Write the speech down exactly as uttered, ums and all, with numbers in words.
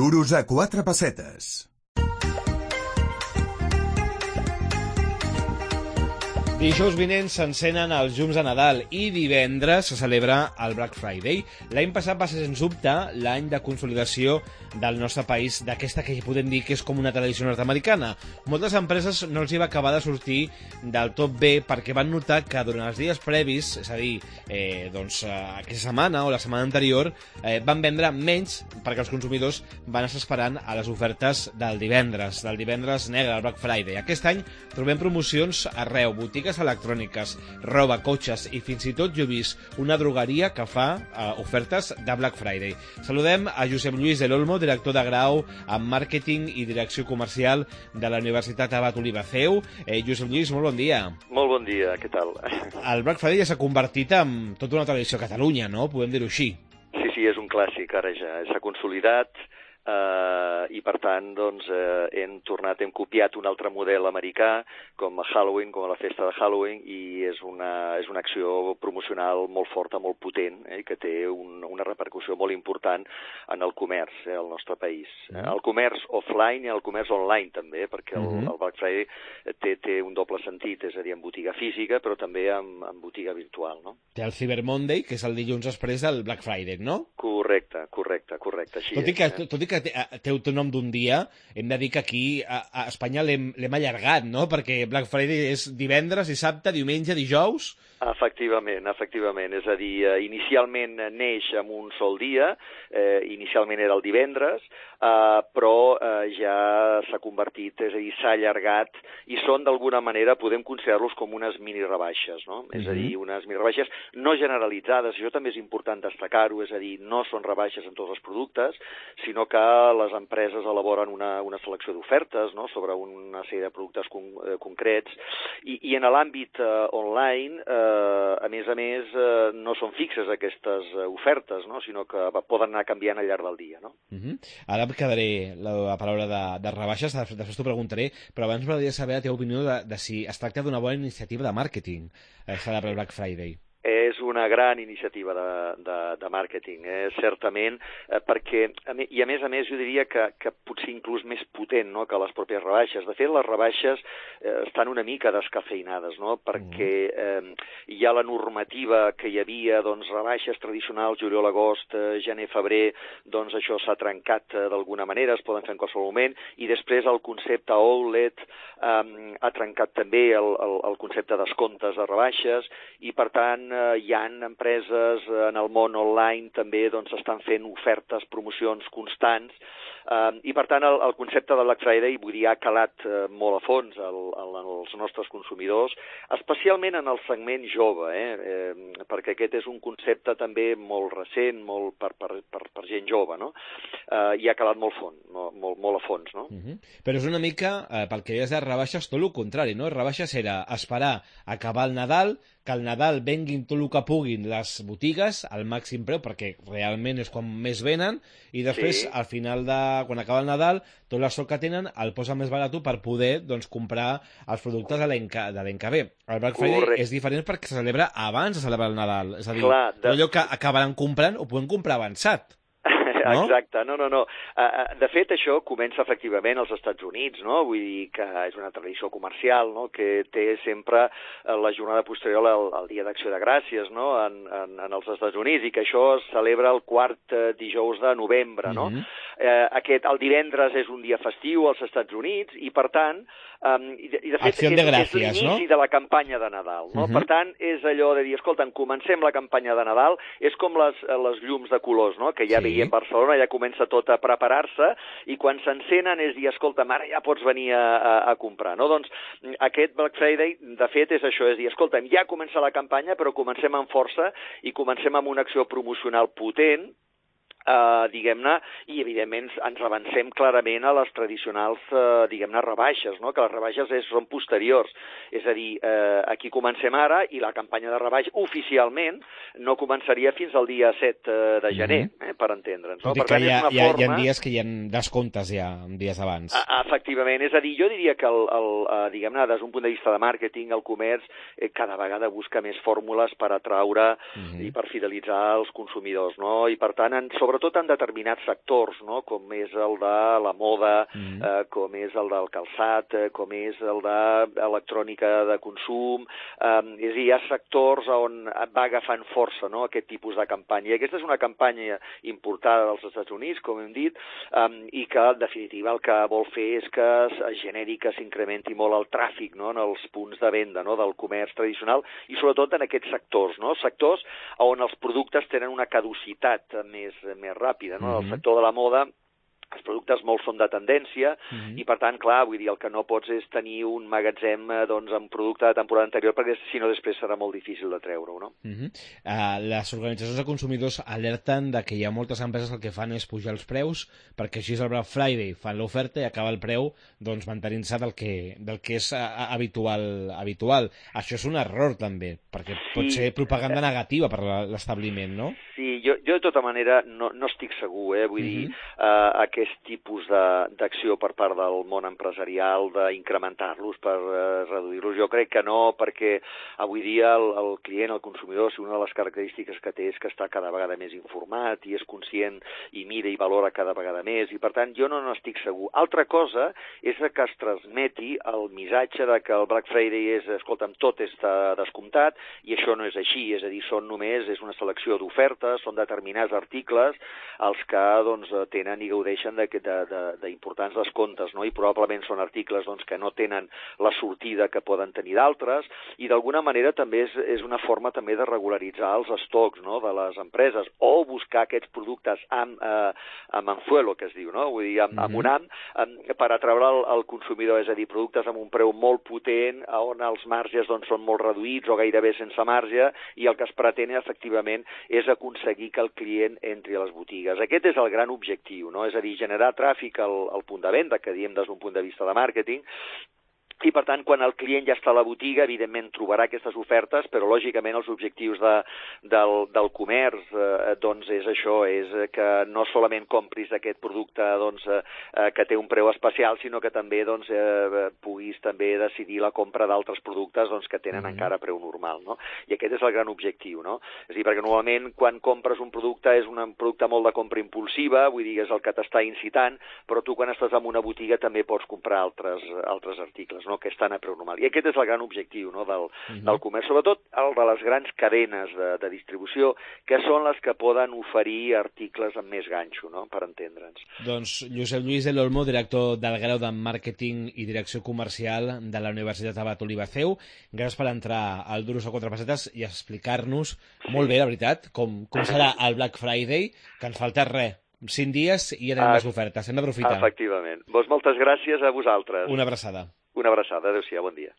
Duros a quatre pessetes. Dijous vinent s'encenen els llums de Nadal i divendres se celebra el Black Friday. L'any passat va ser, sens dubte, l'any de consolidació del nostre país, d'aquesta que podem dir que és com una tradició nord-americana. Moltes empreses no els hi va acabar de sortir del tot bé perquè van notar que durant els dies previs, és a dir, eh, doncs, aquesta setmana o la setmana anterior, eh, van vendre menys perquè els consumidors van estar esperant a les ofertes del divendres, del divendres negre, el Black Friday. Aquest any trobem promocions arreu, botigues electròniques, roba, cotxes i fins i tot jo he vist una drogueria que fa eh, ofertes de Black Friday. Saludem a Josep Lluís del Olmo, director de grau en màrqueting i direcció comercial de la Universitat Abat Oliva C E U. Eh, Josep Lluís, molt bon dia. Molt bon dia, què tal? El Black Friday ja s'ha convertit en tota una tradició a Catalunya, no? Podem dir-ho així. Sí, sí, és un clàssic, ara ja s'ha consolidat. Uh, i per tant doncs, uh, hem tornat, hem copiat un altre model americà com a Halloween, com a la festa de Halloween, i és una, és una acció promocional molt forta, molt potent, eh, que té un, una repercussió molt important en el comerç eh, al nostre país. Mm. El comerç offline i el comerç online també, perquè el, mm-hmm. el Black Friday té, té un doble sentit, és a dir, en botiga física però també en, en botiga virtual, no? Té el Cyber Monday, que és el dilluns després del Black Friday, no? Correcte, correcte, correcte, així tot i és. Que, eh? tot i que té, té el nom d'un dia, hem de dir que aquí a, a Espanya l'hem allargat, no? Perquè Black Friday és divendres, dissabte, diumenge, dijous... Efectivament, efectivament. És a dir, inicialment neix en un sol dia, eh, inicialment era el divendres, eh, però eh, ja s'ha convertit, és a dir, s'ha allargat, i són d'alguna manera, podem considerar-los com unes mini rebaixes, no? Mm-hmm. És a dir, unes mini rebaixes no generalitzades, això també és important destacar-ho, és a dir, no són rebaixes en tots els productes, sinó que les empreses elaboren una, una selecció d'ofertes, no?, sobre una sèrie de productes con, eh, concrets, i, i en l'àmbit eh, online, eh, a més a més, eh, no són fixes aquestes ofertes, no?, sinó que poden anar canviant al llarg del dia, no? Uh-huh. Ara em quedaré la, la paraula de, de rebaixes, després t'ho preguntaré, però abans m'agradaria saber la teva opinió de, de si es tracta d'una bona iniciativa de màrqueting, eh, celebrar el Black Friday. És una gran iniciativa de, de, de màrqueting, eh, certament, eh, perquè, i a més a més jo diria que, que potser inclús més potent, no?, que les pròpies rebaixes. De fet, les rebaixes eh, estan una mica descafeinades, no?, perquè eh, hi ha la normativa que hi havia, doncs, rebaixes tradicionals, juliol, agost, eh, gener, febrer, doncs això s'ha trencat eh, d'alguna manera, es poden fer en qualsevol moment, i després el concepte outlet eh, ha trencat també el, el, el concepte descomptes de rebaixes, i per tant hi ha empreses en el món online també doncs estan fent ofertes, promocions constants, eh, i per tant el, el concepte de Black Friday, vull dir, ha calat eh, molt a fons el, el, els nostres consumidors, especialment en el segment jove, eh, eh, perquè aquest és un concepte també molt recent, molt per, per, per, per gent jove, no? Eh, i ha calat molt fons, molt, molt, molt a fons, no? Uh-huh. Però és una mica, eh, pel que deies de rebaixes, tot el contrari, no? Rebaixes era esperar acabar el Nadal, que al Nadal venguin tot el que puguin les botigues al màxim preu, perquè realment és quan més venen, i després, sí. al final de... quan acaba el Nadal, tot l'estoc que tenen el posa més barat per poder doncs, comprar els productes de l'any que, que ve. El Black Friday Correcte. És diferent perquè se celebra abans de celebrar el Nadal. És a dir, Clar, de... allò que acabaran comprant ho poden comprar avançat. No? Exacte, no, no, no. De fet, això comença efectivament als Estats Units, no? Vull dir que és una tradició comercial, no?, que té sempre la jornada posterior al, al Dia d'Acció de Gràcies, no?, en, en, en els Estats Units, i que això es celebra el quart dijous de novembre, no? Mm-hmm. eh, aquest, el divendres és un dia festiu als Estats Units, i per tant, um, i, de, i de fet Acció de és, gràcies, és l'inici no? de la campanya de Nadal, no? Mm-hmm. Per tant, és allò de dir, escolta'm, comencem la campanya de Nadal, és com les, les llums de colors, no?, que ja sí. veiem per Barcelona, ja comença tot a preparar-se, i quan s'encenen és dir, escolta, ara ja pots venir a, a, a comprar, no? Doncs aquest Black Friday, de fet, és això, és dir, escolta'm, ja comença la campanya, però comencem amb força i comencem amb una acció promocional potent, Uh, diguem-ne, i evidentment ens avancem clarament a les tradicionals, uh, diguem-ne, rebaixes, no?, que les rebaixes és, són posteriors, és a dir, uh, aquí comencem ara, i la campanya de rebaix oficialment no començaria fins al dia set uh, de gener, mm-hmm. eh, per entendre'ns. No? Per tant, hi ha, hi, ha, forma... hi ha dies que hi ha descomptes ja, dies abans. Uh, efectivament, és a dir, jo diria que, el, el, uh, diguem-ne, des d'un punt de vista de màrqueting, el comerç eh, cada vegada busca més fórmules per atraure mm-hmm. i per fidelitzar els consumidors, no?, i per tant, en, sobre sobretot en determinats sectors, no? Com és el de la moda, mm. eh, com és el del calçat, eh, com és el de electrònica de consum, eh, és a dir, hi ha sectors on va agafant força, no?, aquest tipus de campanya. I aquesta és una campanya importada dels Estats Units, com hem dit, eh, i que, en definitiva, el que vol fer és que es generi, que s'incrementi molt el tràfic, no?, en els punts de venda, no?, del comerç tradicional, i sobretot en aquests sectors, no?, sectors on els productes tenen una caducitat més, més ràpida, no?, mm-hmm. El sector de la moda, els productes molts són de tendència, mm-hmm. i per tant, clar, vull dir, el que no pots és tenir un magatzem doncs, amb producte de temporada anterior, perquè si no després serà molt difícil de treure-ho, no? Mm-hmm. uh, les organitzacions de consumidors alerten de que hi ha moltes empreses que el que fan és pujar els preus, perquè així és el Black Friday, fan l'oferta i acaba el preu doncs, mantenint-se del, que, del que és uh, habitual, habitual. Això és un error, també, perquè sí. pot ser propaganda negativa per l'establiment, no? Sí, jo, jo de tota manera no, no estic segur, eh? Vull mm-hmm. dir, uh, aquest tipus d'acció per part del món empresarial d'incrementar-los per uh, reduir-los. Jo crec que no, perquè avui dia el, el client, el consumidor, si una de les característiques que té és que està cada vegada més informat i és conscient i mira i valora cada vegada més, i per tant jo no n'estic segur. Altra cosa és que es transmeti el missatge de que el Black Friday és, escolta'm, tot està descomptat, i això no és així, és a dir, són només, és una selecció d'ofertes, són determinats articles els que doncs, tenen i gaudeixen d'importants de, de, descomptes, no? I probablement són articles doncs, que no tenen la sortida que poden tenir d'altres, i d'alguna manera també és, és una forma també de regularitzar els estocs, no?, de les empreses, o buscar aquests productes amb, eh, amb anzuelo, que es diu, no?, vull dir, amb, mm-hmm. amb un am, amb, per atraure el, el consumidor, és a dir, productes amb un preu molt potent, on els marges doncs, són molt reduïts o gairebé sense marge, i el que es pretén efectivament és aconseguir que el client entri a les botigues. Aquest és el gran objectiu, no?, és a dir, generar tràfic al, al punt de venda, que diem des d'un punt de vista de màrqueting, i, per tant, quan el client ja està a la botiga, evidentment trobarà aquestes ofertes, però, lògicament, els objectius de, del, del comerç eh, doncs és això, és que no solament compris aquest producte doncs, eh, que té un preu especial, sinó que també doncs, eh, puguis també decidir la compra d'altres productes doncs, que tenen mm-hmm. encara preu normal, no? I aquest és el gran objectiu, no? És a dir, perquè normalment quan compres un producte és un producte molt de compra impulsiva, vull dir, és el que t'està incitant, però tu quan estàs en una botiga també pots comprar altres, altres articles, no? Que estan a preu normal. I aquest és el gran objectiu, no?, del, uh-huh. del comerç, sobretot el de les grans cadenes de, de distribució, que són les que poden oferir articles amb més ganxo, no?, per entendre'ns. Doncs Josep Lluís del Olmo, director del grau de Màrqueting i Direcció Comercial de la Universitat Abat Olivaceu, gràcies per entrar al Duros a quatre pessetes i explicar-nos sí. molt bé, la veritat, com, com serà el Black Friday, que ens falta res. cinc dies i ja tenim les ofertes. Hem d'aprofitar. Efectivament. Doncs moltes gràcies a vosaltres. Una abraçada. Una abraçada. Adéu-siau, bon dia.